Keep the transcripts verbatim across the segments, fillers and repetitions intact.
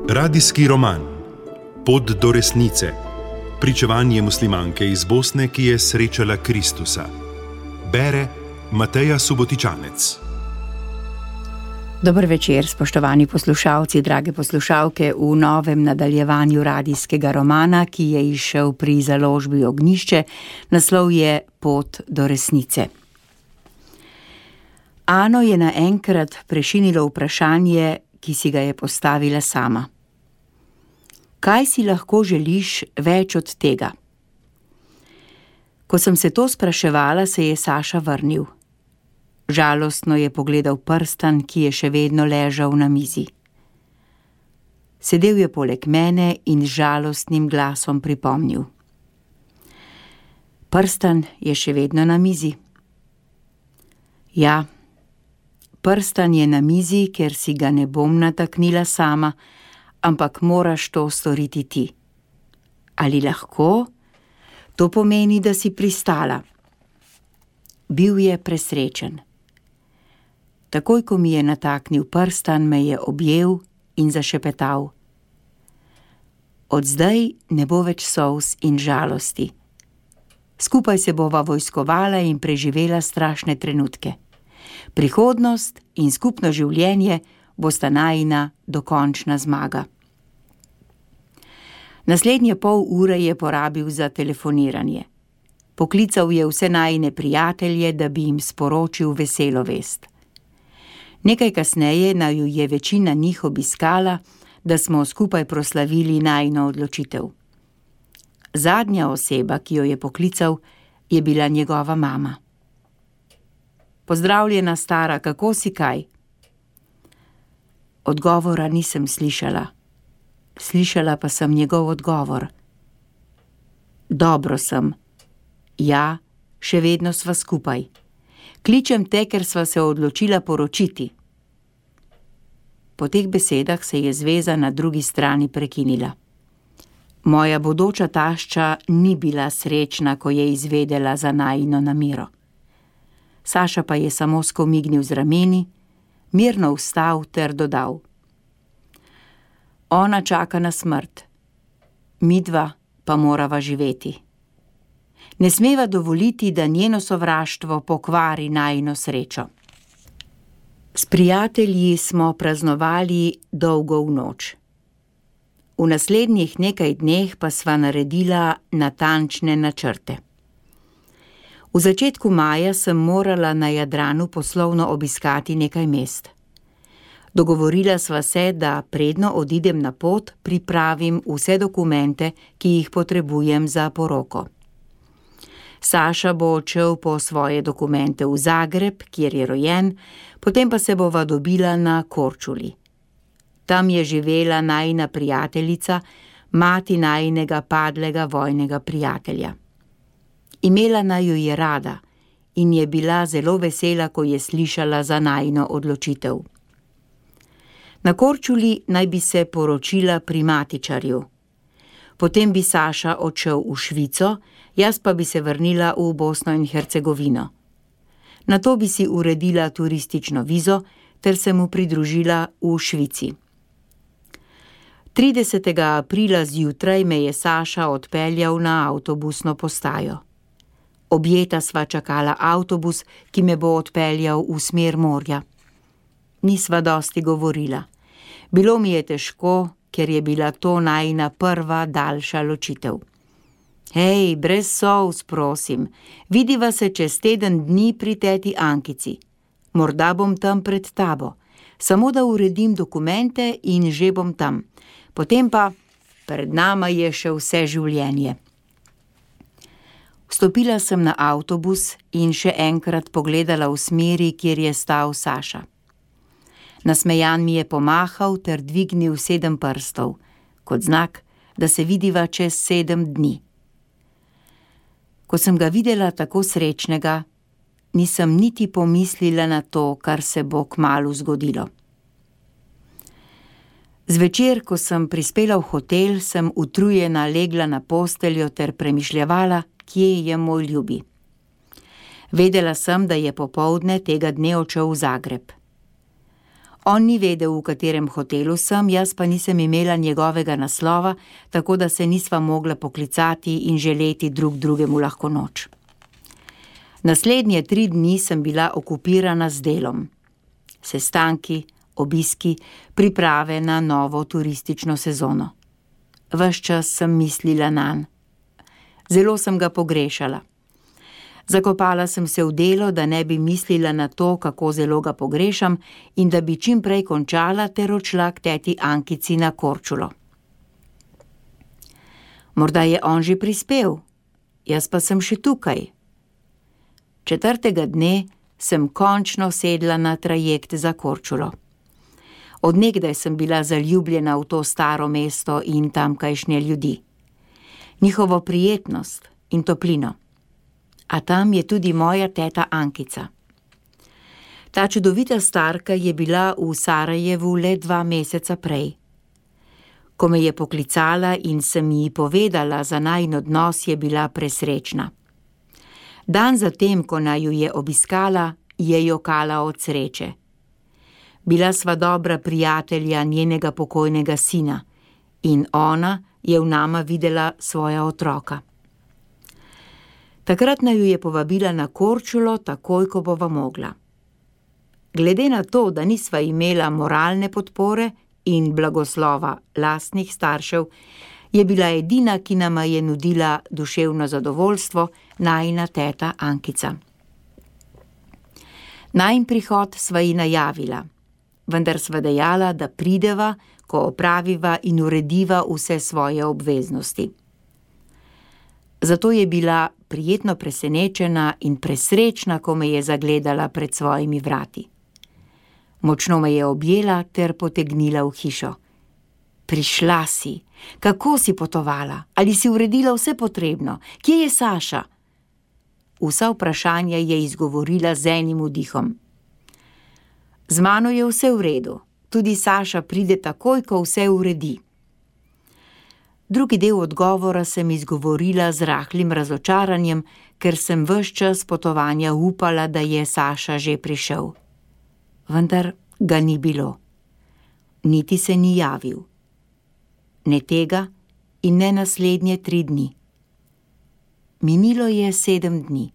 Radijski roman Pot do resnice. Pričevanje muslimanke iz Bosne, ki je srečala Kristusa. Bere Mateja Subotičanec. Dober večer, spoštovani poslušalci, drage poslušalke, v novem nadaljevanju radijskega romana, ki je izšel pri založbi Ognjišče. Naslov je Pot do resnice. Ano je naenkrat prešinilo vprašanje, ki si ga je postavila sama. Kaj si lahko želiš več od tega? Ko sem se to spraševala, se je Saša vrnil. Žalostno je pogledal prstan, ki je še vedno ležal na mizi. Sedel je poleg mene in z žalostnim glasom pripomnil. Prstan je še vedno na mizi. Ja, prstan je na mizi, ker si ga ne bom nataknila sama, ampak moraš to storiti ti. Ali lahko? To pomeni, da si pristala. Bil je presrečen. Takoj, ko mi je nataknil prstan, me je objel in zašepetal. Od zdaj ne bo več solz in žalosti. Skupaj se bova vojskovala in preživela strašne trenutke. Prihodnost in skupno življenje bosta najina dokončna zmaga. Naslednje pol ure je porabil za telefoniranje. Poklical je vse najine prijatelje, da bi jim sporočil veselo vest. Nekaj kasneje naju je večina njih obiskala, da smo skupaj proslavili najino odločitev. Zadnja oseba, ki jo je poklical, je bila njegova mama. Pozdravljena, stara, kako si kaj? Odgovora nisem slišala. Slišala pa sem njegov odgovor. Dobro sem. Ja, še vedno sva skupaj. Kličem te, ker sva se odločila poročiti. Po teh besedah se je zveza na drugi strani prekinila. Moja bodoča tašča ni bila srečna, ko je izvedela za najino namero. Saša pa je samo skomignil z rameni, mirno vstal ter dodal. Ona čaka na smrt, midva pa morava živeti. Ne smeva dovoliti, da njeno sovraštvo pokvari najino srečo. S prijatelji smo praznovali dolgo v noč. V naslednjih nekaj dneh pa sva naredila natančne načrte. V začetku maja sem morala na Jadranu poslovno obiskati nekaj mest. Dogovorila sva se, da predno odidem na pot, pripravim vse dokumente, ki jih potrebujem za poroko. Saša bo odšel po svoje dokumente v Zagreb, kjer je rojen, potem pa se bova dobila na Korčuli. Tam je živela najina prijateljica, mati najinega padlega vojnega prijatelja. Imela naju je rada in je bila zelo vesela, ko je slišala za najino odločitev. Na Korčuli naj bi se poročila pri matičarju. Potem bi Saša odšel v Švico, jaz pa bi se vrnila v Bosno in Hercegovino. Nato bi si uredila turistično vizo ter se mu pridružila v Švici. tridesetega aprila zjutraj me je Saša odpeljal na avtobusno postajo. Objeta sva čakala avtobus, ki me bo odpeljal v smer morja. Nisva dosti govorila. Bilo mi je težko, ker je bila to najina prva daljša ločitev. Hej, brez solz, prosim, vidiva se čez teden dni pri teti Ankici. Morda bom tam pred tabo. Samo da uredim dokumente in že bom tam. Potem pa pred nama je še vse življenje. Vstopila sem na avtobus in še enkrat pogledala v smeri, kjer je stal Saša. Nasmejan mi je pomahal ter dvignil sedem prstov, kot znak, da se vidiva čez sedem dni. Ko sem ga videla tako srečnega, nisem niti pomislila na to, kar se bo kmalu zgodilo. Zvečer, ko sem prispela v hotel, sem utrujena legla na posteljo ter premišljevala, kje je moj ljubi. Vedela sem, da je popoldne tega dne odšel v Zagreb. On ni vedel, v katerem hotelu sem, jaz pa nisem imela njegovega naslova, tako da se nisva mogla poklicati in želeti drug drugemu lahko noč. Naslednje tri dni sem bila okupirana z delom. Sestanki, obiski, priprave na novo turistično sezono. Ves čas sem mislila nanj. Zelo sem ga pogrešala. Zakopala sem se v delo, da ne bi mislila na to, kako zelo ga pogrešam in da bi čim prej končala ter odšla k teti Ankici na Korčulo. Morda je on že prispel, jaz pa sem še tukaj. Četrtega dne sem končno sedla na trajekt za Korčulo. Od nekdaj sem bila zaljubljena v to staro mesto in tamkajšnje ljudi. Njihovo prijetnost in toplino. A tam je tudi moja teta Ankica. Ta čudovita starka je bila v Sarajevu le dva meseca prej. Ko me je poklicala in sem ji povedala za najin odnos, je bila presrečna. Dan zatem, ko naju je obiskala, je jokala od sreče. Bila sva dobra prijatelja njenega pokojnega sina in ona je v nama videla svoja otroka. Takrat naju je povabila na Korčulo takoj, ko bova mogla. Glede na to, da nisva imela moralne podpore in blagoslova lastnih staršev, je bila edina, ki nama je nudila duševno zadovoljstvo, najina teta Ankica. Najin prihod sva ji najavila, vendar sva dejala, da prideva, ko opraviva in urediva vse svoje obveznosti. Zato je bila prijetno presenečena in presrečna, ko me je zagledala pred svojimi vrati. Močno me je objela ter potegnila v hišo. Prišla si, kako si potovala, ali si uredila vse potrebno, kje je Saša? Vsa vprašanja je izgovorila z enim vdihom. Z mano je vse v redu, tudi Saša pride takoj, ko vse uredi. Drugi del odgovora sem izgovorila z rahlim razočaranjem, ker sem ves čas potovanja upala, da je Saša že prišel. Vendar ga ni bilo. Niti se ni javil. Ne tega in ne naslednje tri dni. Minilo je sedem dni.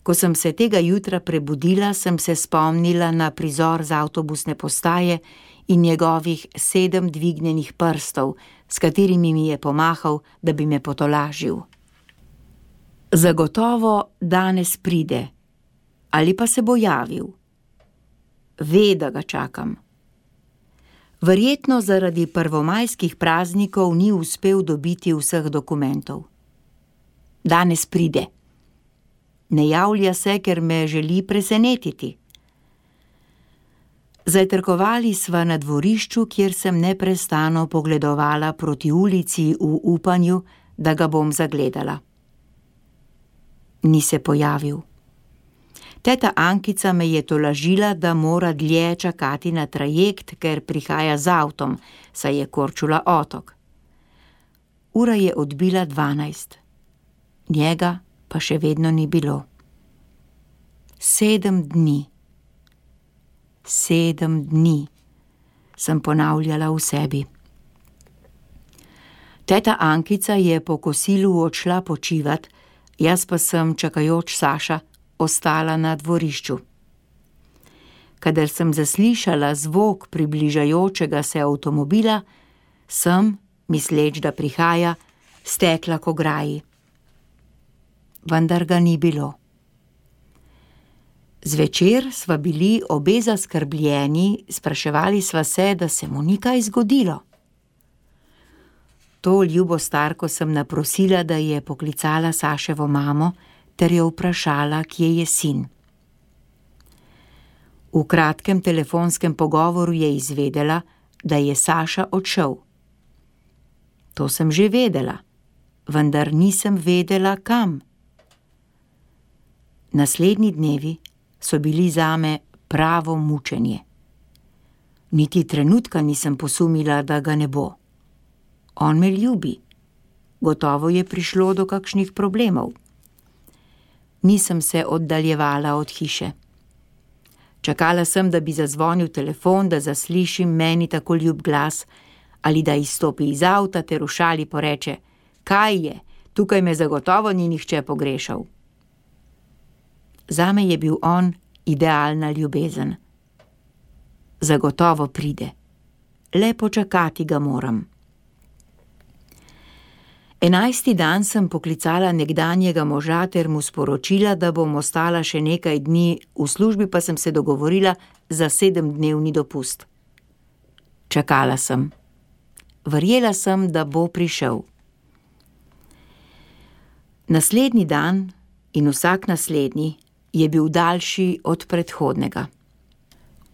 Ko sem se tega jutra prebudila, sem se spomnila na prizor z avtobusne postaje in njegovih sedem dvignjenih prstov, s katerimi mi je pomahal, da bi me potolažil. Zagotovo danes pride, ali pa se bo javil. Ve, da ga čakam. Verjetno zaradi prvomajskih praznikov ni uspel dobiti vseh dokumentov. Danes pride. Ne javlja se, ker me želi presenetiti. Zajtrkovali sva na dvorišču, kjer sem neprestano pogledovala proti ulici v upanju, da ga bom zagledala. Ni se pojavil. Teta Ankica me je tolažila, da mora dlje čakati na trajekt, ker prihaja z avtom, saj je Korčula otok. Ura je odbila dvanajst. Njega pa še vedno ni bilo. Sedem dni. Sedem dni, sem ponavljala v sebi. Teta Ankica je po kosilu odšla počivat, jaz pa sem, čakajoč Saša, ostala na dvorišču. Kadar sem zaslišala zvok približajočega se avtomobila, sem, misleč, da prihaja, stekla k ograji. Vendar ga ni bilo. Zvečer sva bili obe zaskrbljeni, spraševali sva se, da se mu ni kaj zgodilo. To ljubo starko sem naprosila, da je poklicala Saševo mamo ter jo vprašala, kje je sin. V kratkem telefonskem pogovoru je izvedela, da je Saša odšel. To sem že vedela, vendar nisem vedela, kam. Naslednji dnevi so bili zame pravo mučenje. Niti trenutka nisem posumila, da ga ne bo. On me ljubi. Gotovo je prišlo do kakšnih problemov. Nisem se oddaljevala od hiše. Čakala sem, da bi zazvonil telefon, da zaslišim meni tako ljub glas, ali da izstopi iz avta ter v šali poreče: kaj je, tukaj me zagotovo ni nihče pogrešal. Zame je bil on idealna ljubezen. Zagotovo pride. Le počakati ga moram. Enajsti dan sem poklicala nekdanjega moža ter mu sporočila, da bom ostala še nekaj dni, v službi pa sem se dogovorila za sedemdnevni dopust. Čakala sem. Verjela sem, da bo prišel. Naslednji dan in vsak naslednji je bil daljši od predhodnega.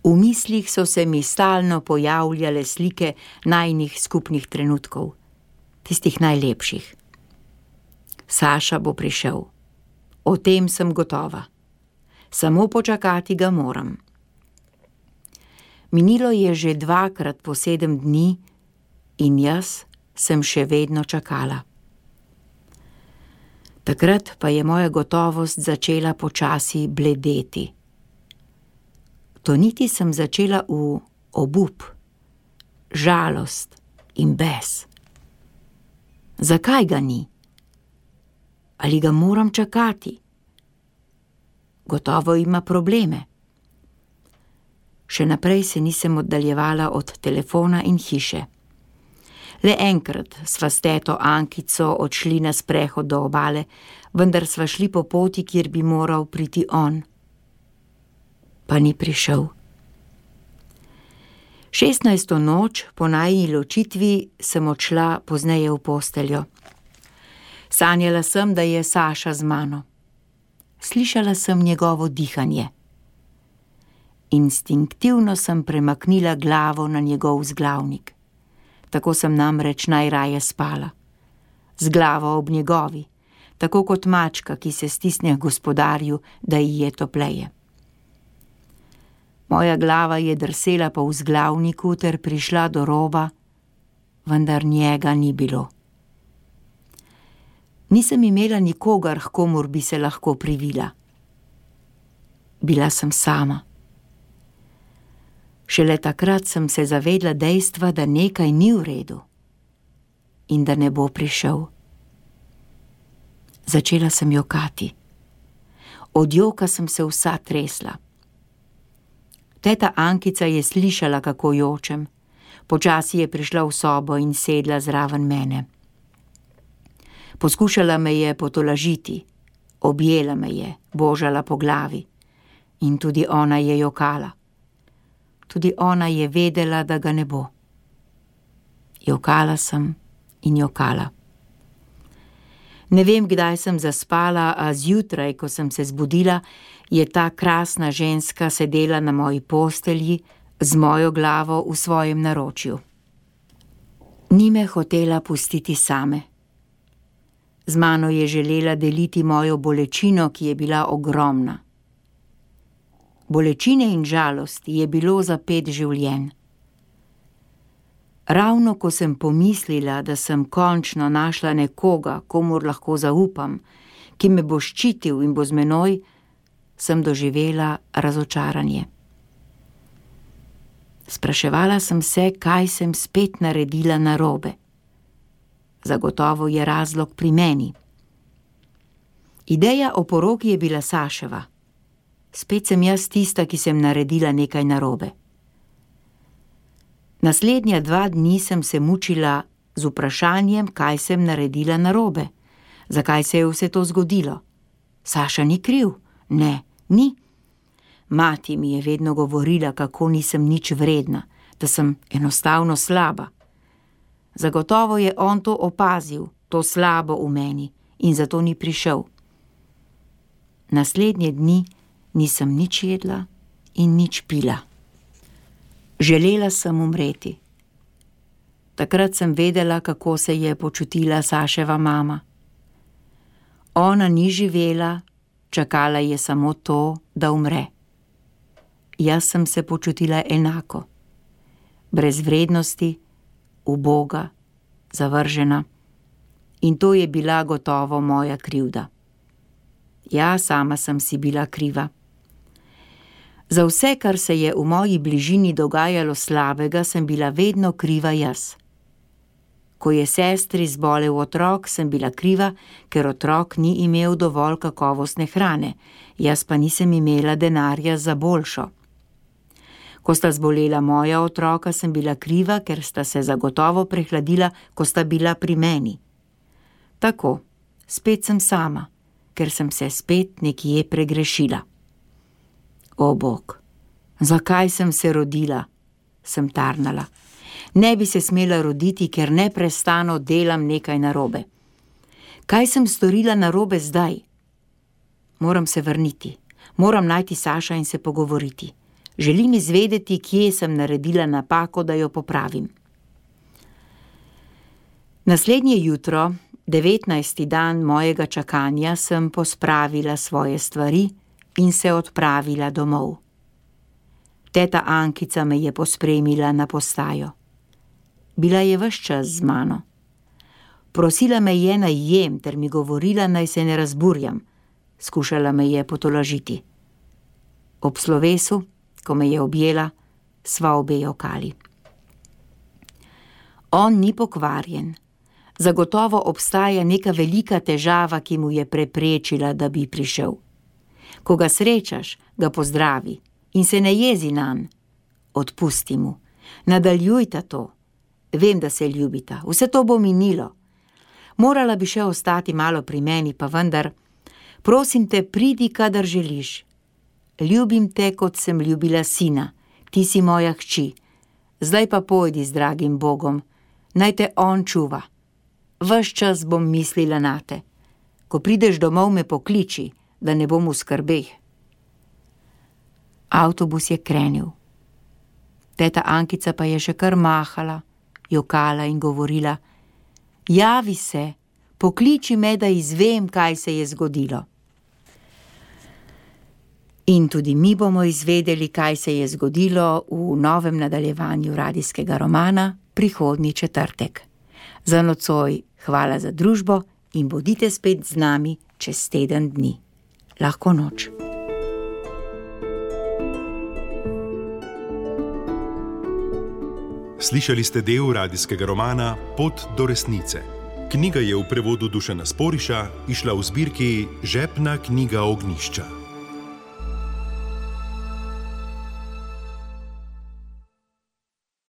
V mislih so se mi stalno pojavljale slike najinih skupnih trenutkov, tistih najlepših. Saša bo prišel. O tem sem gotova. Samo počakati ga moram. Minilo je že dvakrat po sedem dni in jaz sem še vedno čakala. Takrat pa je moja gotovost začela počasi bledeti. Toniti sem začela v obup, žalost in bes. Zakaj ga ni? Ali ga moram čakati? Gotovo ima probleme. Še naprej se nisem oddaljevala od telefona in hiše. Le enkrat sva s teto Ankico odšli na sprehod do obale, vendar sva šli po poti, kjer bi moral priti on. Pa ni prišel. Šestnajsto noč po najini ločitvi sem odšla pozneje v posteljo. Sanjala sem, da je Saša z mano. Slišala sem njegovo dihanje. Instinktivno sem premaknila glavo na njegov vzglavnik. Tako sem namreč najraje spala. Z glavo ob njegovi, tako kot mačka, ki se stisne k gospodarju, da ji je topleje. Moja glava je drsela po vzglavniku ter prišla do roba, vendar njega ni bilo. Nisem imela nikogar, h komur bi se lahko privila. Bila sem sama. Šele takrat sem se zavedla dejstva, da nekaj ni v redu in da ne bo prišel. Začela sem jokati. Od joka sem se vsa tresla. Teta Ankica je slišala, kako jočem. Počasi je prišla v sobo in sedla zraven mene. Poskušala me je potolažiti, objela me je, božala po glavi. In tudi ona je jokala. Tudi ona je vedela, da ga ne bo. Jokala sem in jokala. Ne vem, kdaj sem zaspala, a zjutraj, ko sem se zbudila, je ta krasna ženska sedela na moji postelji z mojo glavo v svojem naročju. Ni me hotela pustiti same. Z mano je želela deliti mojo bolečino, ki je bila ogromna. Bolečine in žalosti je bilo za pet življenj. Ravno ko sem pomislila, da sem končno našla nekoga, komur lahko zaupam, ki me bo ščitil in bo z menoj, sem doživela razočaranje. Spraševala sem se, kaj sem spet naredila narobe. Zagotovo je razlog pri meni. Ideja o poroki je bila Saševa. Spet sem jaz tista, ki sem naredila nekaj narobe. Naslednja dva dni sem se mučila z vprašanjem, kaj sem naredila narobe. Zakaj se je vse to zgodilo? Saša ni kriv? Ne, ni. Mati mi je vedno govorila, kako nisem nič vredna, da sem enostavno slaba. Zagotovo je on to opazil, to slabo v meni, in zato ni prišel. Naslednje dni nisem nič jedla in nič pila. Želela sem umreti. Takrat sem vedela, kako se je počutila Saševa mama. Ona ni živela, čakala je samo to, da umre. Jaz sem se počutila enako. Brez vrednosti, uboga, zavržena. In to je bila gotovo moja krivda. Ja, sama sem si bila kriva. Za vse, kar se je v moji bližini dogajalo slabega, sem bila vedno kriva jaz. Ko je sestri zbolel otrok, sem bila kriva, ker otrok ni imel dovolj kakovostne hrane, jaz pa nisem imela denarja za boljšo. Ko sta zbolela moja otroka, sem bila kriva, ker sta se zagotovo prehladila, ko sta bila pri meni. Tako, spet sem sama, ker sem se spet nekje pregrešila. O Bog, zakaj sem se rodila, sem tarnala. Ne bi se smela roditi, ker neprestano delam nekaj narobe. Kaj sem storila narobe zdaj? Moram se vrniti, moram najti Saša in se pogovoriti. Želim izvedeti, kje sem naredila napako, da jo popravim. Naslednje jutro, devetnajsti dan mojega čakanja, sem pospravila svoje stvari in se odpravila domov. Teta Ankica me je pospremila na postajo. Bila je ves čas z mano. Prosila me je, naj jem, ter mi govorila, naj se ne razburjam. Skušala me je potolažiti. Ob slovesu, ko me je objela, sva obe jokali. On ni pokvarjen. Zagotovo obstaja neka velika težava, ki mu je preprečila, da bi prišel. Ko ga srečaš, ga pozdravi in se ne jezi nanj. Odpusti mu. Nadaljujta to. Vem, da se ljubita. Vse to bo minilo. Morala bi še ostati malo pri meni, pa vendar, prosim te, pridi, kadar želiš. Ljubim te, kot sem ljubila sina. Ti si moja hči. Zdaj pa pojdi z dragim Bogom. Naj te on čuva. Ves čas bom mislila nate. Ko prideš domov, me pokliči, da ne bom v skrbeh. Avtobus je krenil. Teta Ankica pa je še kar mahala, jokala in govorila: javi se, pokliči me, da izvem, kaj se je zgodilo. In tudi mi bomo izvedeli, kaj se je zgodilo v novem nadaljevanju radijskega romana prihodnji četrtek. Za nocoj hvala za družbo in bodite spet z nami čez teden dni. Lahko noč. Slišali ste del radijskega romana Pot do resnice. Knjiga je v prevodu Dušana Sporiša izšla v zbirki Žepna knjiga Ognjišča.